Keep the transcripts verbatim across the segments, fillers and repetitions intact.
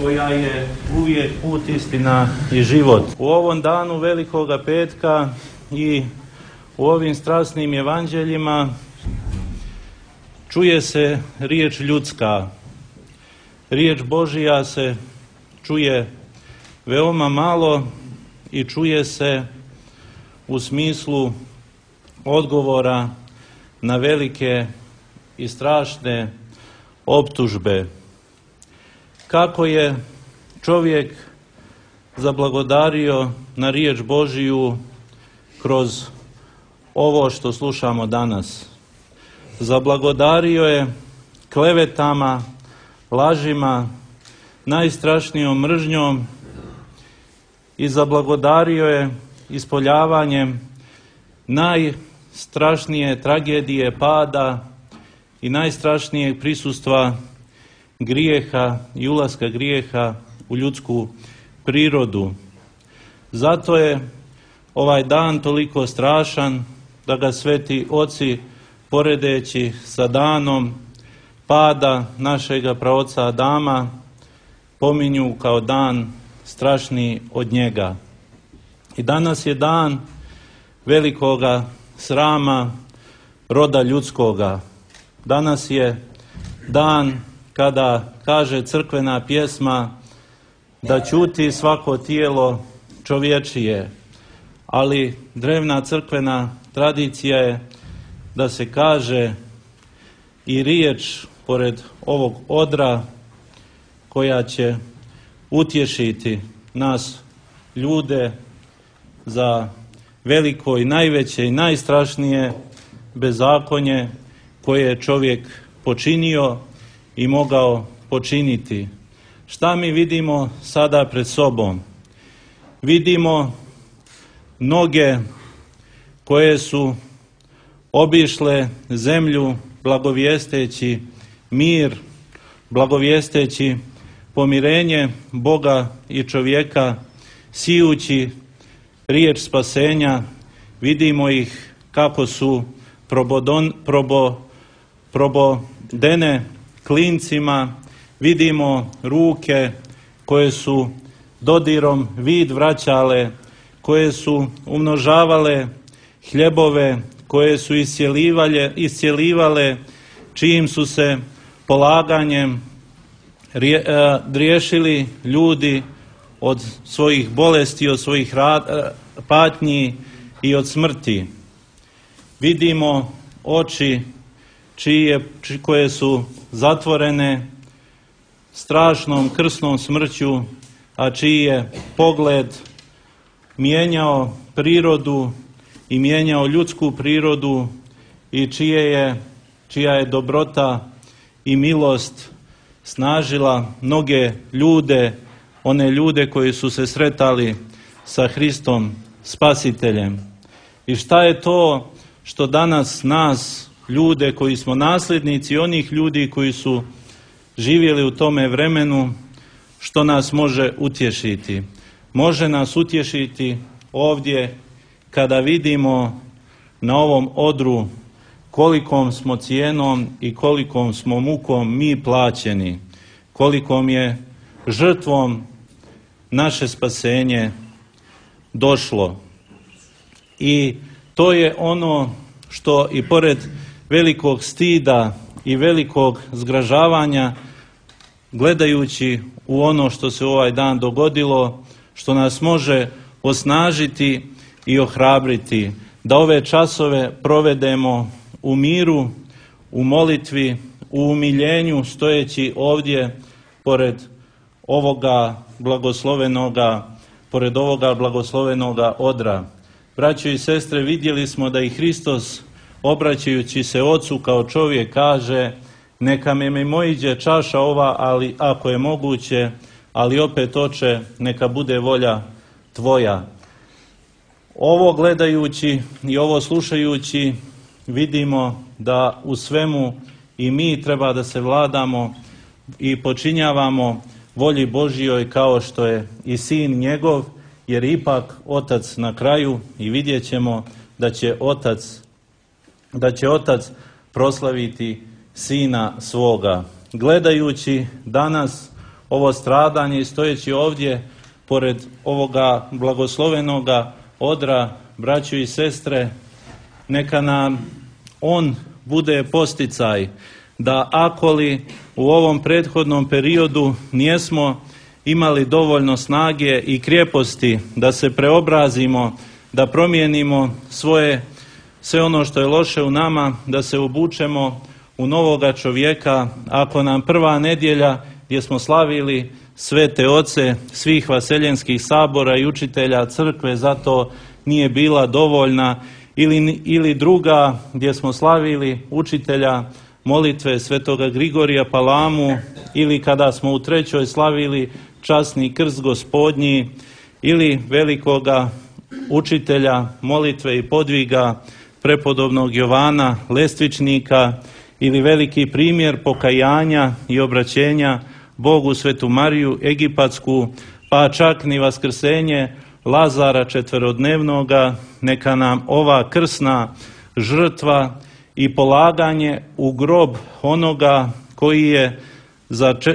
koja je uvijek put, istina i život. U ovom danu Velikoga petka i u ovim strasnim evanđeljima čuje se riječ ljudska. Riječ Božija se čuje veoma malo i čuje se u smislu odgovora na velike i strašne optužbe. Kako je čovjek zablagodario na riječ Božiju kroz ovo što slušamo danas. Zablagodario je klevetama, lažima, najstrašnijom mržnjom i zablagodario je ispoljavanjem najstrašnije tragedije pada i najstrašnijeg prisustva grijeha i ulaska grijeha u ljudsku prirodu. Zato je ovaj dan toliko strašan da ga sveti oci, poredeći sa danom pada našega praoca Adama, pominju kao dan strašniji od njega. I danas je dan velikoga srama roda ljudskoga. Danas je dan kada kaže crkvena pjesma da ćuti svako tijelo čovječije, ali drevna crkvena tradicija je da se kaže i riječ pored ovog odra koja će utješiti nas ljude za veliko i najveće i najstrašnije bezakonje koje je čovjek počinio i mogao počiniti. Šta mi vidimo sada pred sobom? Vidimo noge koje su obišle zemlju blagovijesteći mir, blagovijesteći pomirenje Boga i čovjeka, sijući riječ spasenja. Vidimo ih kako su probodon, probo, probodene klincima, vidimo ruke koje su dodirom vid vraćale, koje su umnožavale hljebove, koje su iscjelivale, iscjelivale čijim su se polaganjem rije, riješili ljudi od svojih bolesti, od svojih rad, patnji i od smrti. Vidimo oči čije, koje su zatvorene strašnom krsnom smrću, a čiji je pogled mijenjao prirodu i mijenjao ljudsku prirodu i čije je, čija je dobrota i milost snažila mnoge ljude, one ljude koji su se sretali sa Hristom Spasiteljem. I šta je to što danas nas, ljude koji smo nasljednici onih ljudi koji su živjeli u tome vremenu, što nas može utješiti? Može nas utješiti ovdje kada vidimo na ovom odru kolikom smo cijenom i kolikom smo mukom mi plaćeni, kolikom je žrtvom naše spasenje došlo. I to je ono što i pored velikog stida i velikog zgražavanja, gledajući u ono što se u ovaj dan dogodilo, što nas može osnažiti i ohrabriti, da ove časove provedemo u miru, u molitvi, u umiljenju, stojeći ovdje pored ovoga blagoslovenoga, pored ovoga blagoslovenoga odra. Braćo i sestre, vidjeli smo da i Hristos, obraćajući se Ocu kao čovjek, kaže: neka me mimoiđe čaša ova, ali ako je moguće, ali opet, Oče, neka bude volja Tvoja. Ovo gledajući i ovo slušajući vidimo da u svemu i mi treba da se vladamo i počinjavamo volji Božjoj kao što je i Sin njegov, jer ipak Otac na kraju, i vidjet ćemo da će Otac, da će Otac proslaviti Sina svoga. Gledajući danas ovo stradanje i stojeći ovdje pored ovoga blagoslovenoga odra, braćo i sestre, neka nam on bude posticaj da ako li u ovom prethodnom periodu nijesmo imali dovoljno snage i krijeposti da se preobrazimo, da promijenimo svoje, sve ono što je loše u nama, da se obučemo u novoga čovjeka, ako nam prva nedjelja gdje smo slavili svete oce svih vaseljenskih sabora i učitelja crkve zato nije bila dovoljna, ili, ili druga gdje smo slavili učitelja molitve svetoga Grigorija Palamu, ili kada smo u trećoj slavili časni krst gospodnji, ili velikoga učitelja molitve i podviga prepodobnog Jovana Lestvičnika, ili veliki primjer pokajanja i obraćenja Bogu Svetu Mariju Egipatsku, pa čak ni vaskrsenje Lazara četverodnevnoga, neka nam ova krsna žrtva i polaganje u grob onoga koji je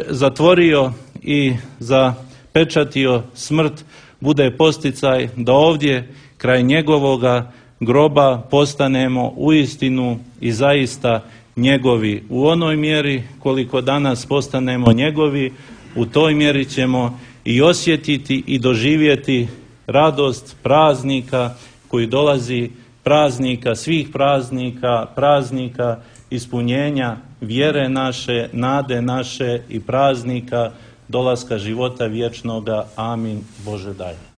zatvorio i zapečatio smrt bude posticaj da ovdje kraj njegovoga groba postanemo uistinu i zaista njegovi. U onoj mjeri koliko danas postanemo njegovi, u toj mjeri ćemo i osjetiti i doživjeti radost praznika koji dolazi, praznika svih praznika, praznika ispunjenja vjere naše, nade naše i praznika dolaska života vječnoga. Amin. Bože daj.